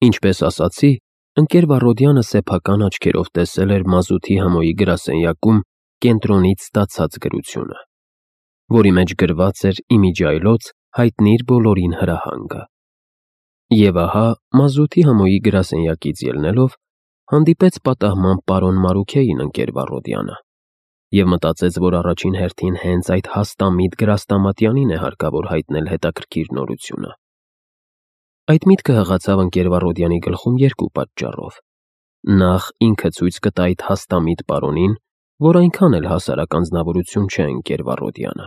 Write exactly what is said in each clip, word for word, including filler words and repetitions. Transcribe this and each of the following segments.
Ինչպես ասացի, ընկեր Վառոդյանը սեփական աչքերով տեսել էր մազութի համոյի գրասենյակում կենտրոնից ստացած գրությունը, որի մեջ գրված էր իմիջիայլոց հայտնիր բոլորին հրահանգը։ Եվ ահա մազութի համոյի գրասենյակից ելնելով հանդիպեց պատահմամբ պարոն Մարուքեին ընկեր Վառոդյանը և մտածեց, որ առաջին հերթին հենց այդ հաստամիտ Գրաստամատյանին է հարկավոր հայտնել հետաքրքիր նորությունը։ Այդ միտքը հղացավ ընկեր Վառոդյանի գլխում երկու պատճառով. նախ ինքը ցույց կտա այդ հաստամիտ պարոնին, որ այնքան էլ հասարակ անձնավորություն չէ ընկեր Վառոդյանը,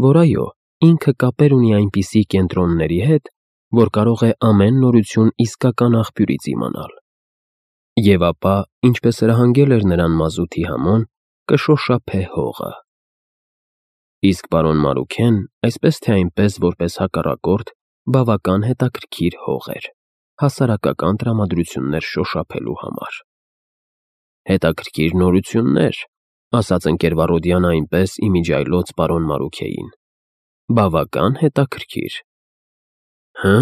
որ այո, ինքը կապեր ունի այնպիսի կենտրոնների հետ, որ կարող է ամեն նորություն իսկական աղբյուրից իմանալ։ Եվ ապա, ինչպես հրահանգել էր նրան մազութի համոն, կշոշափե հողը։ Իսկ պարոն Մարուքեն, այսպես թե այնպես, որպես հակառակորդ, բավական հետաքրքիր հող էր, հասարակական տրամադրություններ շոշափելու համար։ Հետաքրքիր նորություններ, ասաց ընկեր Վառոդյանը այնպես իմիջիայլոց պարոն Մարուքեին, բավական հետաքրքիր։ Հը,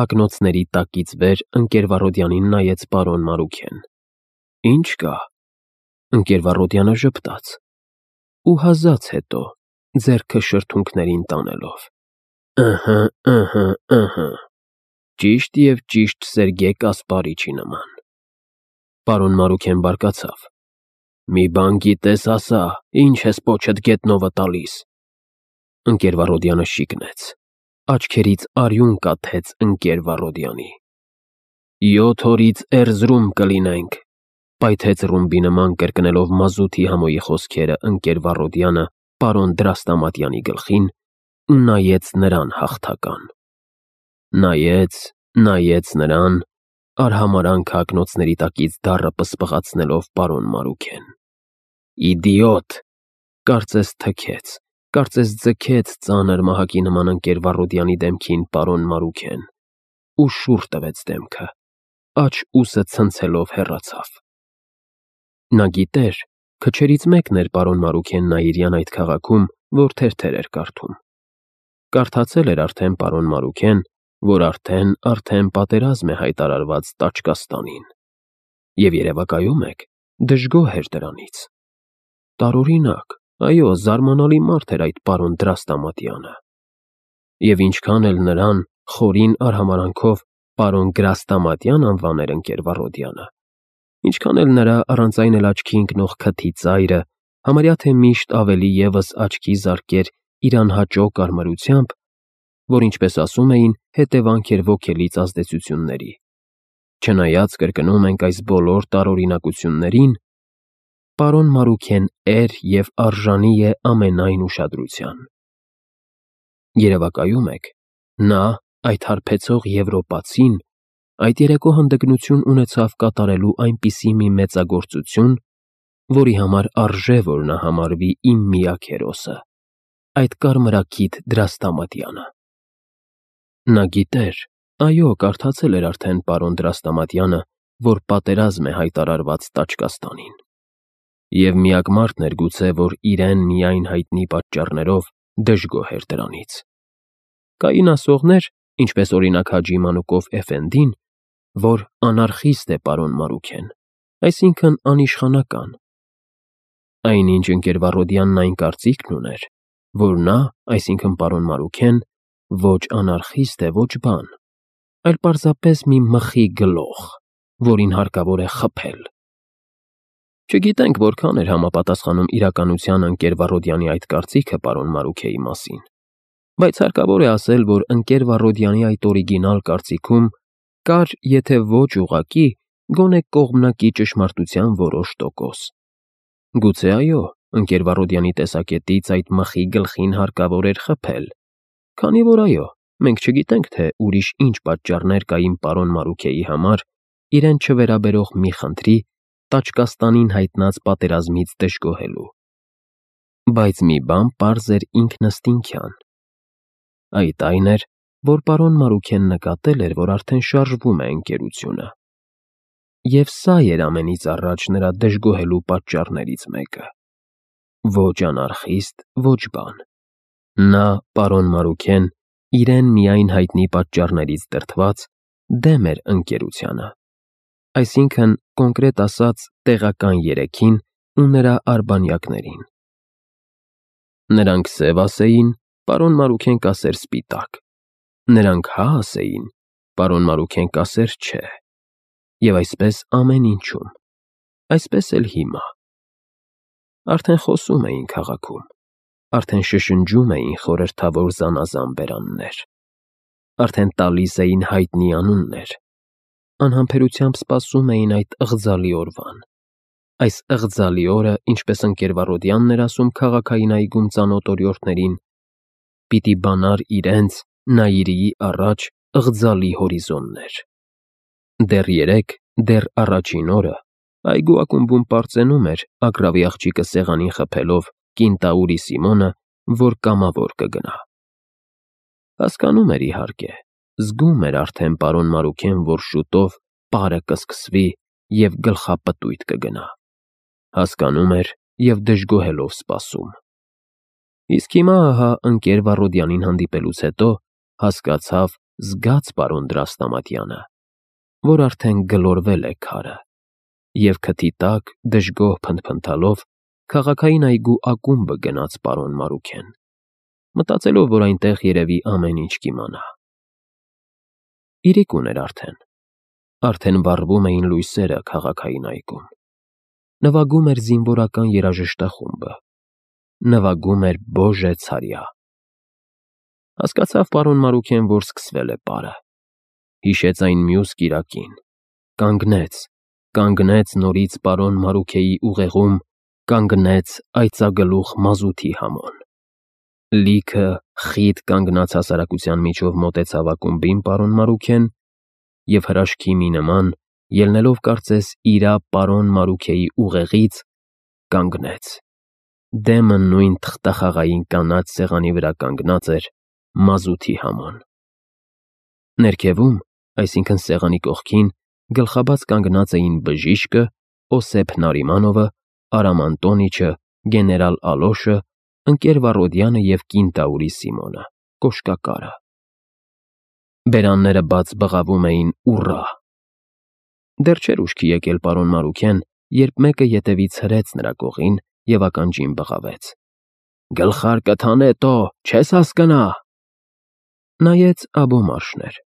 ակնոցների տակից վեր ընկեր Վառոդյանին նայեց պարոն Մարուքեն։ Ինչ կա։ Ընկեր Վառոդյանը ժպտաց ու հազաց հետո, ձեռքը շրթունքներին տանելով. Ըհը, ըհը, ըհը, ճիշտ և ճիշտ Սերգեյ Կասպարիչի նման։ Պարոն Մարուքեն բարկացավ. Մի բան գիտես ասա, ինչ ես պոչդ գետնովը տալիս։ Ընկեր Վառոդյանը շիկնեց, աչքերից արյուն կաթեց ընկեր Վառոդյանի։ Յոթ օրից Էրզրում կլինենք, պայթեց ռումբի նման կրկնելով մազութի համոյի խոսքերը ընկեր Վառոդյանը պարոն Դրաստամատյանի գլխին ու նայեց նրան հաղթական։ Նայեց, նայեց նրան, արհամարանքը ակնոցների տակից դառը պսպղացնելով պարոն Մարուքեն։ Իդիոտ, կարծես թքեց, կարծես ձգեց ծանր մահակի նման ընկեր Վառոդյանի դեմքին պարոն Մարուքեն ու շուռ տվեց դեմքը, աջ ուսը ցնցելով հեռացավ։ Նա գիտեր, քչերից մեկն էր պարոն Մարուքենն Այրյան այդ քաղաքում, որ թերթեր էր կարդում։ Կարդացել էր արդեն պարոն Մարուքեն, որ արդեն, արդեն պատերազմ է հայտարարված Տաճկաստանին։ Եվ երևակայում եք, դժգոհ էր դրանից։ Տարօրինակ, այո, զարմանալի մարդ էր այդ պարոն Դրաստամատյանը։ Եվ ինչքան էլ նրան խորին արհամարանքով պարոն Գրաստամատյան անվաներ ընկեր Վառոդյանը, ինչքան էլ նրա առանց այն էլ աչքի ընկնող քթի ծայրը համարյա թե միշտ ավելի ևս աչքի զարկեր իր անհաճո կարմրությամբ, որ ինչպես ասում էին, հետևանք էր ոգելից ազդեցությունների։ Չնայած կրկնում ենք այս բոլոր տարօրինակություններին, պարոն Մարուքեն էր և արժանի է ամենայն ուշադրության։ Երևակայում եք, նա, այդ հարբեցող եվրոպացին, այդ երեկո հանդգնություն ունեցավ կատարելու այնպիսի մի մեծագործություն, որի համար արժե, որ նա համարվի իմ միակ հերոսը, այդ կարմրաքիթ Դրաստամատյանը։ Նա գիտեր, այո, կարդացել էր արդեն պարոն Դրաստամատյանը, որ պատերազմ է հայտարարված Տաճկաստանին։ Եվ միակ մարդն էր գուցե, որ իրեն միայն հայտնի պատճառներով դժգոհ էր դրանից։ Կային ասողներ, ինչպես օրինակ Հաջի Մանուկով Էֆենդին, որ անարխիստ է պարոն Մարուքեն, այսինքն անիշխանական։ Այնինչ ընկեր Վառոդյանն այն կարծիքն ուներ, որ նա, այսինքն պարոն Մարուքեն, ոչ անարխիստ է, ոչ բան, այլ պարզապես մի մխի գլոխ, որին հարկավոր է խփել։ Չգիտենք որքան էր համապատասխանում իրականությանը ընկեր Վառոդյանի այդ կարծիքը պարոն Մարուքեի մասին, բայց հարկավոր է ասել, որ ընկեր Վառոդյանի այդ օրիգինալ կարծիքում կար, եթե ոչ ուղղակի, գոնե կողմնակի ճշմարտության որոշ տոկոս։ Գուցե այո, ընկեր Վառոդյանի տեսակետից այդ մխի գլխին հարկավոր էր խփել, քանի որ այո, մենք չգիտենք, թե ուրիշ ինչ պատճառներ կային պարոն Մարուքեի համար իրեն չվերաբերող մի խնդրի Տաճկաստանին հայտնած պատերազմից դժգոհելու։ Բայց մի բան պարզ էր ինքնըստինքյան։ Այդ այն էր, որ պարոն Մարուքեն նկատել էր, որ արդեն շարժվում է ընկերությունը։ Եվ սա էր ամենից առաջ նրա դժգոհելու պատճառներից մեկը։ Ոչ անարխիստ, ոչ բան։ Նա, պարոն Մարուքեն, իրեն միայն հայտնի պատճառներից դրդված, դեմ էր ընկերությանը, այսինքն կոնկրետ ասած տեղական երեքին ու նրա արբանյակներին։ Նրանք սև ասեին, պարոն Մարուքեն կասեր սպիտակ, նրանք հա ասեին, պարոն Մարուքեն կասեր չէ, և այսպես ամեն ինչում, այսպես էլ հիմա։ Արդեն խոսում էին քաղաքում, արդեն շշնջում էին խորհրդավոր զանազան բերաններ, արդեն տալիս էին հայտնի անուններ, անհամբերությամբ սպասում էին այդ ըղձալի օրվան, այս ըղձալի օրը, ինչպես ընկերվառոդյանն էր ասում քաղաքային այգում ծանոթ օրիորդներին, պիտի բանար իրենց Նաիրիի առաջ ըղձալի հորիզոններ։ Դեռ երեկ, դեռ առաջին օրը, այգու ակումբում պարծենում էր Ագռավի աղջիկը սեղանին խփելով կինտաուրի Սիմոնը, որ կամավոր կգնա։ Հասկանում էր իհարկե, զգում էր արդեն պարոն Մարուքեն, որ շուտով պարը կսկսվի և գլխապտույտ կգնա։ Հասկանում էր և դժգոհելով սպասում։ Իսկ հիմա ահա ընկեր Վառոդյանին հանդիպելուց հետո հասկացավ, զգաց պարոն Դրաստամատյանը, որ արդեն գլորվել է քարը, և քթի տակ դժգոհ փնթփնթալով քաղաքային այգու ակումբը գնաց պարոն Մարուքեն, մտածելով, որ այնտեղ երևի ամեն ինչ կիմանա։ Իրիկուն էր արդեն, արդեն վառվում էին լույսերը քաղաքային այգում, նվագում էր զինվորական երաժշտախումբը, նվագում էր Բոժե ցարյա։ Հասկացավ պարոն Մարուքեն, որ սկսվել է պարը, հիշեց այն մյուս կիրակին, կանգնեց, կանգնեց նորից պարոն Մարուքեի ուղեղում, կանգնեց այծագլուխ մազութի համոն։ Լիքը խիտ կանգնած հասարակության միջով մոտեցավ ակումբին պարոն Մարուքեն և հրաշքի մի նման, ելնելով կարծես իրա պարոն Մարուքեի ուղեղից, կանգնեց։ Դեմը նույն թղթախաղային կանաչ սեղանի վրա կանգնած էր մազութի համոն։ Ներքևում, այսինքն սեղանի կողքին, գլխաբաց կանգնած էին բժիշկը, Օսեփ Նարիմանովը, Արամ Անտոնիչը, գեներալ Ալոշը, ընկեր Վառոդյանը և կինտաուրի Սիմոնը, կոշկակարը։ Բերանները բաց բղավում էին ուռա։ Դեռ չէր ուշքի եկել պարոն Մարուքեն, երբ մեկը ետևից հրեց նրա կողին և ականջին բղավեց. «Գլխարկդ հանետո, չես հասկնա»։ Նայեց Աբոմարշն էր,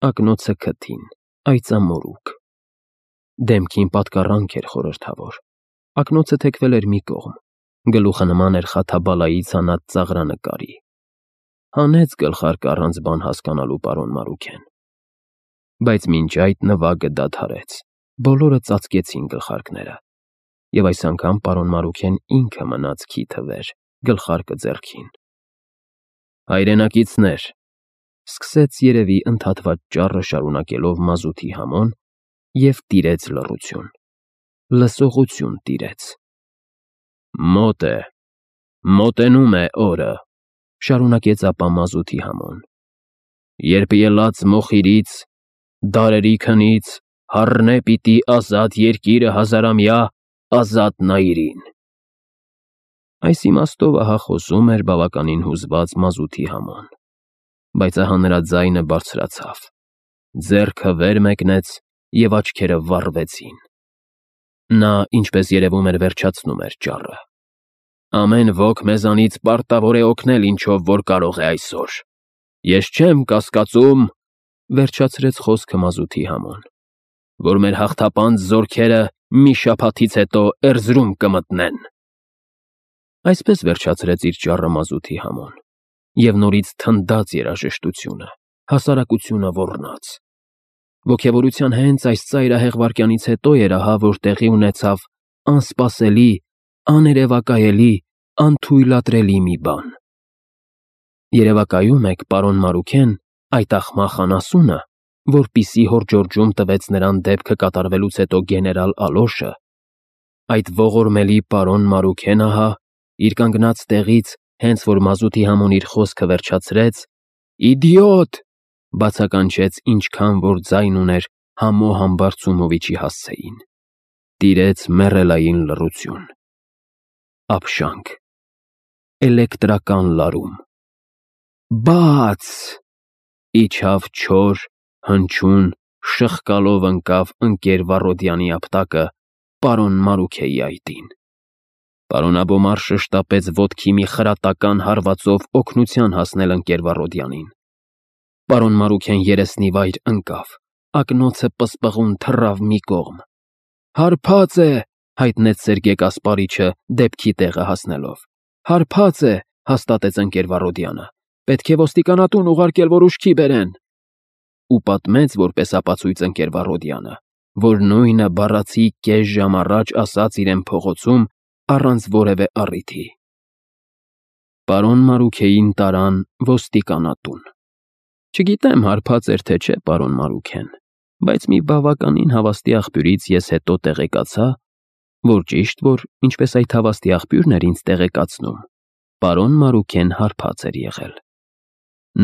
ակնոցը քթին, այծամորուք։ Դեմքին պատկառանք էր խորհրդավոր, ակնոցը թեքվել էր մի կողմ, գլուխը նման էր խաթաբալայի ցանած ծաղրանկարի։ Հանեց գլխարկը առանց բան հասկանալու պարոն Մարուքեն։ Բայց մինչ այդ նվագը դադարեց, բոլորը ծածկեցին գլխարկները, և այս անգամ պարոն Մարուքեն ինքը մնաց քիթը վեր, գլխարկը ձեռքին։ «Հայրենակիցներ», սկսեց երևի ընդհատված ճառը շարունակելով մազութի համոն և տիրեց լռություն, լսողություն տիրեց։ «Մոտ է, մոտենում է օրը», շարունակեց ապա մազութի համոն, «երբ ելած մոխիրից, դարերի քնից, հառնե պիտի ազատ երկիրը հազարամյա ազատ Նայիրին»։ Այս իմաստով ահա խոսում էր բավականին հուզված մազութի համոն, բայց ահա նրա ձայնը բարձրացավ, ձեռքը վեր մեկնեց և աչքերը վառվեցին։ Նա, ինչպես երևում էր, վերջացնում էր ճառը։ «Ամեն ոք մեզանից պարտավոր է օգնել ինչով որ կարող է այսօր։ Ես չեմ կասկածում», վերջացրեց խոսքը մազութի համոն, «որ մեր հաղթապանծ զորքերը մի շաբաթից հետո Էրզրում կմտնեն»։ Այսպես վերջացրեց իր ճառը մազութի համոն, և նորից թնդաց երաժշտությունը, հասարակությունը ոռնաց։ Ոգևորության հենց այս ծայրահեղ վայրկյանից հետո էր ահա, որ տեղի ունեցավ անսպասելի, աներևակայելի, անթույլատրելի մի բան։ Երևակայում եք, պարոն Մարուքեն, այդ աղմախ անասունը, որպիսի հոր Ջորջում տվեց նրան դեպքը կատարվելուց հետո գեներալ Ալոշը, այդ ողորմելի պարոն Մարուքեն ահա, իր կանգնած տեղից, հենց որ մազութի համոն իր խոսքը վերջացրեց, «Իդիոտ», բացականչեց ինչքան որ ձայն ուներ Համո Համբարձումովիչի հասցեին։ Տիրեց մեռելային լռություն, ափշանք, էլեկտրական լարում։ Բաց, իջավ չոր, հնչյուն, շխկալով ընկավ ընկեր Վառոդյանի ապտակը պարոն Մարուքեի այտին։ Պարոն Աբոմարշը շտապեց ոտքի մի խրատական հարվածով օգնության հասնել ընկեր Վառոդյանին։ Պարոն Մարուքեն երեսնի վայր ընկավ, ակնոցը պսպղուն թռավ մի կողմ։ «Հարբած է», հայտնեց Սերգեյ Կասպարիչը դեպքի տեղը հասնելով։ «Հարբած է», հաստատեց ընկեր Վառոդյանը։ «Պետք է ոստիկանատուն ուղարկել, որ ուշքի բերեն»։ Ու պատմեց որպես ապացույց ընկեր Վառոդյանը, որ նույնը բառացի կես ժամ առաջ ասաց իրեն փողոցում առանց որևէ առիթի։ Պարոն Մարուքեին տարան ոստիկանատուն։ Չգիտեմ հարբած էր թե չէ պարոն Մարուքեն, բայց մի բավականին հավաստի աղբյուրից ես հետո տեղեկացա, որ ճիշտ որ, ինչպես այդ հավաստի աղբյուրն էր ինձ տեղեկացնում, պարոն Մարուքեն հարբած էր եղել։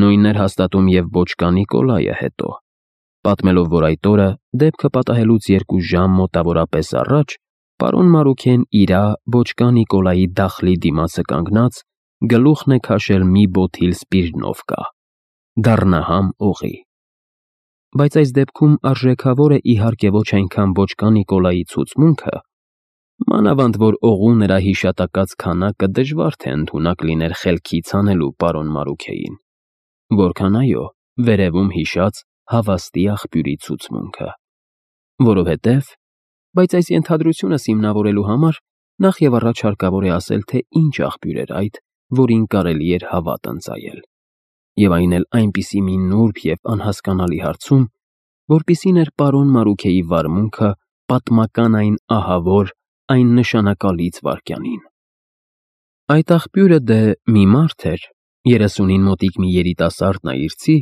Նույնն էր հաստատում և Բոչկա Նիկոլայը հետո, պատմելով, որ այդ օրը, դեպքը պատահելուց երկու ժամ մոտավորապես առաջ, պարոն Մարուքեն իրա Բոչկա Նիկոլայի դախլի դիմացը կանգնած, գլուխն է քաշել մի բոթիլ Սպիրնովկա, դառնահամ օղի։ Բայց այս դեպքում արժեքավոր է իհարկե ոչ այնքան Բոչկա Նիկոլայի ցուցմունքը, մանավանդ որ օղու նրա հիշատակած քանակը դժվար թե ընդունակ լիներ խելքից հանելու պարոն Մարուքեին, որքան այո, վերևում հիշած հավաստի աղբյուրի ցուցմունքը, որովհետև, բայց այս ենթադրությունս հիմնավորելու համար նախ և առաջ հարկավոր է ասել, թե ինչ աղբյուր էր այդ, որին կարելի էր հավատ ընծայել, և այն էլ այնպիսի մի նուրբ և անհասկանալի հարցում, որպիսին էր պարոն Մարուքեի վարմունքը պատմական այն ահավոր, այն նշանակալից վայրկյանին։ Այդ աղբյուրը դե մի մարդ էր, երեսունին մոտիկ մի երիտասարդ նայիրցի,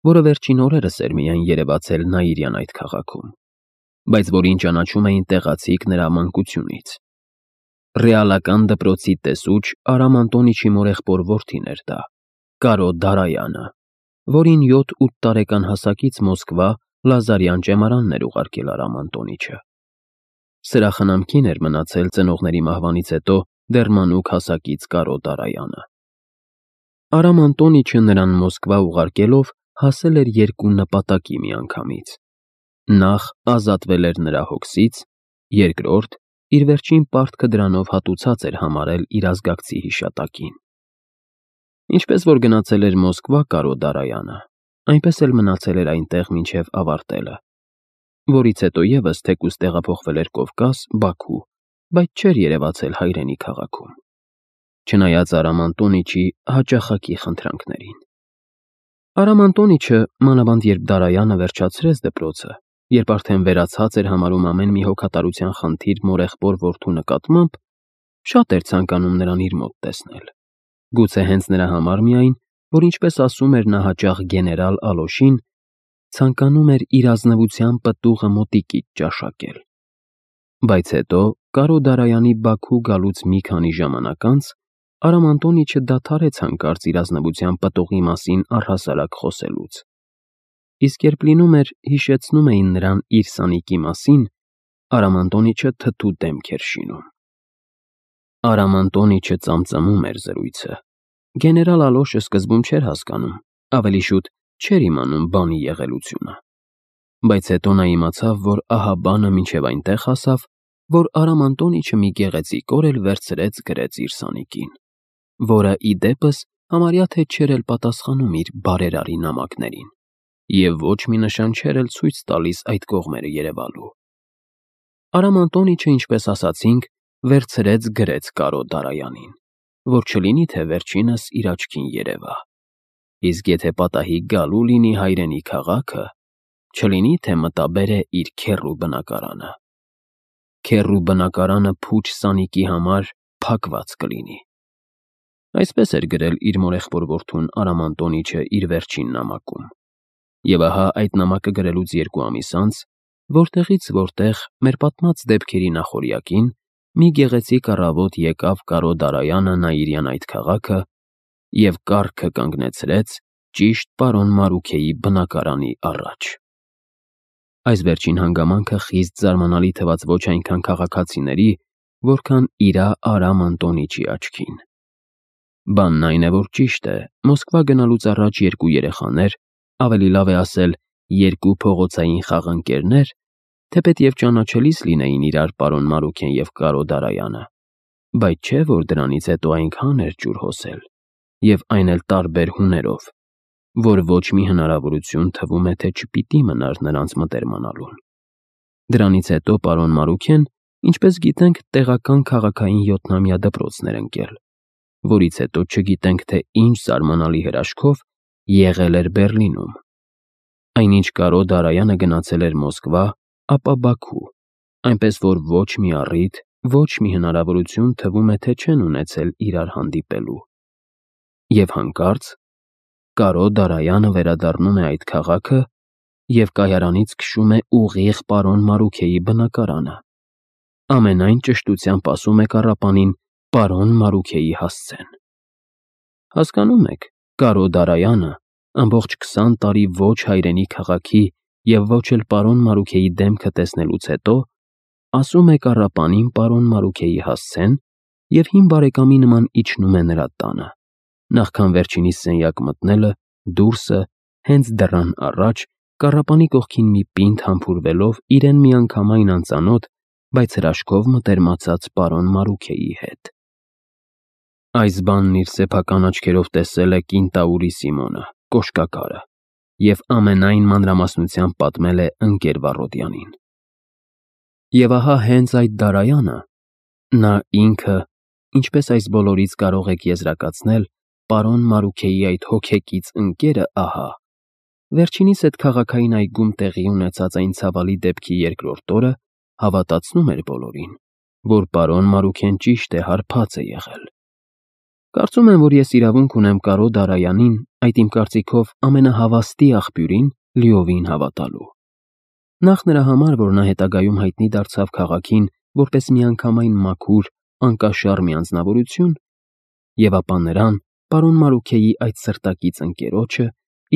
որը վերջին օրերս էր միայն երևացել Նաիրյան այդ քաղաքում, բայց որին ճանաչում էին տեղացիք նրա մանկությունից։ Ռեալական դպրոցի տեսուչ Արամ Անտոնիչի մորեղբոր որդին էր դա, Կարո Դարայանը, որին յոթ֊ութ տարեկան հասակից Մոսկվա Լազարյան ճեմարանն էր ուղարկել Արամ Անտոնիչը։ Սրախնամքին էր մնացել ծնողների մահվանից հետո դեռ մանուկ հասակից Կարո Դարայանը։ Արամ Անտոնիչը նրան Մոսկվա ուղարկելով հասել էր երկու նպատակի միանգամից. նախ ազատվել էր նրա հոգսից, երկրորդ իր վերջին պարտքը դրանով հատուցած էր համարել իր ազգակցի հիշատակին։ Ինչպես որ գնացել էր Մոսկվա Կարո Դարայանը, այնպես էլ մնացել էր այնտեղ մինչև ավարտելը, որից հետո ևս թեկուզ տեղափոխվել էր Կովկաս, Բաքու, բայց չէր երևացել հայրենի քաղաքում, չնայած Արամ Անտոնիչի հաճախակի խնդրանքներին։ Արամ Անտոնիչը, մանավանդ երբ Դարայանը վերջացրեց դպրոցը, երբ արդեն վերացած էր համարում ամեն մի հոգատարության խնդիր մորեղբոր որդու նկատմամբ, շատ էր ցանկանում նրան իր մոտ տեսնել։ Գուցե հենց նրա համար միայն, որ ինչպես ասում էր նա հաճախ գեներալ Ալոշին, ցանկանում էր իր ազնվության պտուղը մոտիկից ճաշակել։ Բայց հետո, Կարո Դարայանի Բաքու գալուց մի քանի ժամանակ անց, Արամ Անտոնիչը դադարեց հանկարծ իր ազնվության պտուղի մասին առհասարակ խոսելուց։ Իսկ երբ լինում էր, հիշեցնում էին նրան իր սանիկի մասին, Արամ Անտոնիչը թթու դեմք էր շինում։ Արամ Անտոնիչը ծամծամում էր զրույցը։ Գեներալ Ալոշը սկզբում չէր հասկանում, ավելի շուտ չէր իմանում բանի եղելությունը։ Բայց հետո նա իմացավ, որ ահա բանը մինչև այնտեղ հասավ, որ Արամ Անտոնիչը մի գեղեցիկ օր էլ վերցրեց գրեց իր սանիկին, որը ի դեպս համարյա թե չէր էլ պատասխանում իր բարերարի նամակներին, և ոչ մի նշան չէր էլ ցույց տալիս այդ կողմերը երևալու։ Արամ Անտոնիչը, ինչպես ասացինք, վերցրեց գրեց Կարո Դարայանին, որ չլինի թե վերջինս իր աչքին երևա։ Իսկ եթե պատահի գալու լինի հայրենի քաղաքը, չլինի թե մտաբեր է իր քեռու բնակարանը։ Քեռու բնակարանը փուչ սանիկի համար փակված կլինի։ Այսպես էր գրել իր մորեղբոր որդուն Արամ Անտոնիչը իր վերջին նամակում։ Եվ ահա այդ նամակը գրելուց երկու ամիս անց, որտեղից որտեղ մեր պատմած դեպքերի նախօրյակին մի գեղեցիկ առավոտ եկավ Կարո Դարայանը Նաիրյան այդ քաղաքը և կառքը կանգնեցրեց ճիշտ պարոն Մարուքեի բնակարանի առաջ։ Այս վերջին հանգամանքը խիստ զարմանալի թվաց ոչ այնքան քաղաքացիների, որքան իրա Արամ Անտոնիչի աչքին։ Բանն այն է, որ ճիշտ է, Մոսկվա գնալուց առաջ երկու երեխաներ, ավելի լավ է ասել երկու փողոցային խաղընկերներ, թեպետև ճանաչելիս լինեին իրար պարոն Մարուքեն և Կարո Դարայանը, բայց չէ, որ դրանից հետո այնքան էր ջուր հոսել, և այն էլ տարբեր հուներով, որ ոչ մի հնարավորություն թվում է, թե չպիտի մնար նրանց մտերմանալուն։ Դրանից հետո պարոն Մարուքեն, ինչպես գիտենք, տեղական քաղաքային յոթնամյա դպրոցն էր ընկել, որից հետո չգիտենք, թե ինչ զարմանալի հրաշքով եղել էր Բեռլինում։ Այնինչ Կարո Դարայանը գնացել էր Մոսկվա, ապա Բաքու, այնպես որ ոչ մի առիթ, ոչ մի հնարավորություն թվում է, թե չեն ունեցել իրար հանդիպելու։ Եվ հանկարծ Կարո Դարայանը վերադառնում է այդ քաղաքը և կայարանից քշում է ուղիղ պարոն Մարուքեի բնակարանը, ամենայն ճշտությամբ ասում է կառապանին պարոն Մարուքեի հասցեն։ Հասկանում եք, Կարո Դարայանը ամբողջ քսան տարի ոչ հայրենի քաղաքի և ոչ էլ պարոն Մարուքեի դեմքը տեսնելուց հետո ասում է կառապանին պարոն Մարուքեի հասցեն և հին բարեկամի նման իջնում է նրա տանը, նախքան վերջինիս սենյակ մտնելը, դուրսը, հենց դռան առաջ, կառապանի կողքին մի պինդ համբուրվելով իրեն միանգամայն անծանոթ, բայց հրաշքով մտերմացած պարոն Մարուքեի հետ։ Այս բանն իր սեփական աչքերով տեսել է կինտաուրի Սիմոնը, կոշկակարը, և ամենայն մանրամասնությամբ պատմել է ընկեր Վառոդյանին։ Եվ ահա հենց այդ Դարայանը, նա ինքը, ինչպես այս բոլորից կարող եք եզրակացնել, պարոն Մարուքեի այդ հոգեկից ընկերը, ահա, վերջինիս հետ քաղաքային այգում տեղի ունեցած այն ցավալի դեպքի երկրորդ օրը հավատացնում էր բոլորին, որ պարոն Մարուքեն ճիշտ է, հարբած է եղել։ Կարծում եմ, որ ես իրավունք ունեմ Կարո Դարայանին, այդ իմ կարծիքով ամենահավաստի աղբյուրին, լիովին հավատալու։ Նախ նրա համար, որ նա հետագայում հայտնի դարձավ քաղաքին որպես միանգամայն մաքուր, անկաշառ մի անձնավորություն, և ապա նրան, պարոն Մարուքեի այդ սրտակից ընկերոջը,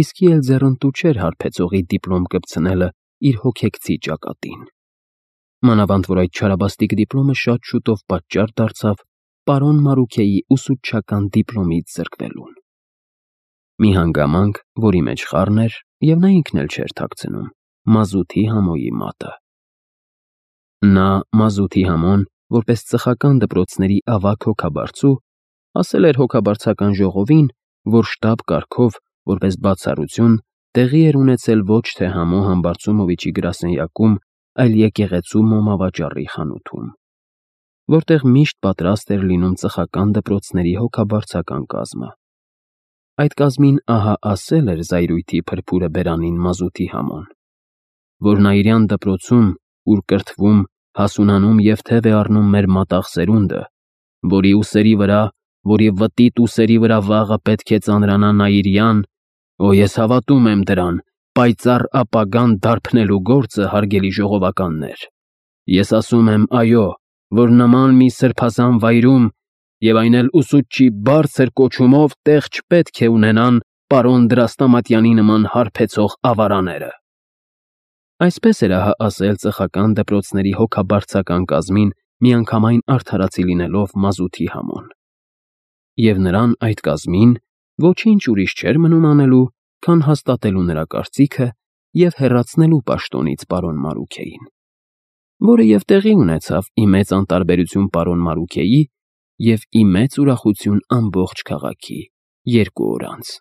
իսկի էլ ձեռնտու չէր հարբեցողի դիպլոմ կպցնելը իր հոգեկցի ճակատին։ Մանավանդ որ այդ չարաբաստիկ դիպլոմը շատ շուտով պատճառ դարձավ պարոն Մարուքեի ուսուցչական դիպլոմից զրկվելուն։ Մի հանգամանք, որի մեջ խառն էր, և նա ինքն էլ չէր թաքցնում, մազութի համոյի մատը։ Նա մազութի համոն, որպես ծխական դպրոցների ավագ հոգաբարձու, ասել էր հոգաբարձական ժողովին, որ շտապ կարգով, որպես բացառություն, տեղի էր ունեցել ոչ թե Համո Համբարձումովիչի գրասենյակում, այլ եկեղեցու մոմավաճառի խանութում, որտեղ միշտ պատրաստ էր լինում ծխական դպրոցների հոգաբարձական կազմը։ Այդ կազմին ահա ասել էր զայրույթի փրփուրը բերանին մազութի Համոն, որ նա իրյան դպրոցում, ուր կրթվում, հասունանում և թև է առնում մեր մատաղ սերունդը, որի ուսերի վրա, որի վտիտ ուսերի վրա վաղը պետք է ծանրանա Նաիրյան, օ, ես հավատում եմ դրան, պայծառ ապագան դարբնելու գործը, հարգելի ժողովականներ։ Ես ասում եմ, այո, որ նման մի սրբազան վայրում, և այն էլ ուսուցչի բարձր կոչումով, տեղ չպետք է ունենան պարոն Դրաստամատյանի նման հարբեցող ավարաները։ Այսպես էր ահա ասել ծխական դպրոցների հոգաբարձական կազմին միանգամայն արդարացի լինելով մազութի Համոն։ Եվ նրան այդ կազմին ոչինչ ուրիշ չէր մնում անելու, քան հաստատելու նրա կարծիքը և հեռացնելու պաշտոնից պարոն Մարուքեին, որը և տեղի ունեցավ ի մեծ անտարբերություն պարոն Մարուքեի և ի մեծ ուրախություն ամբողջ քաղաքի երկու օր անց։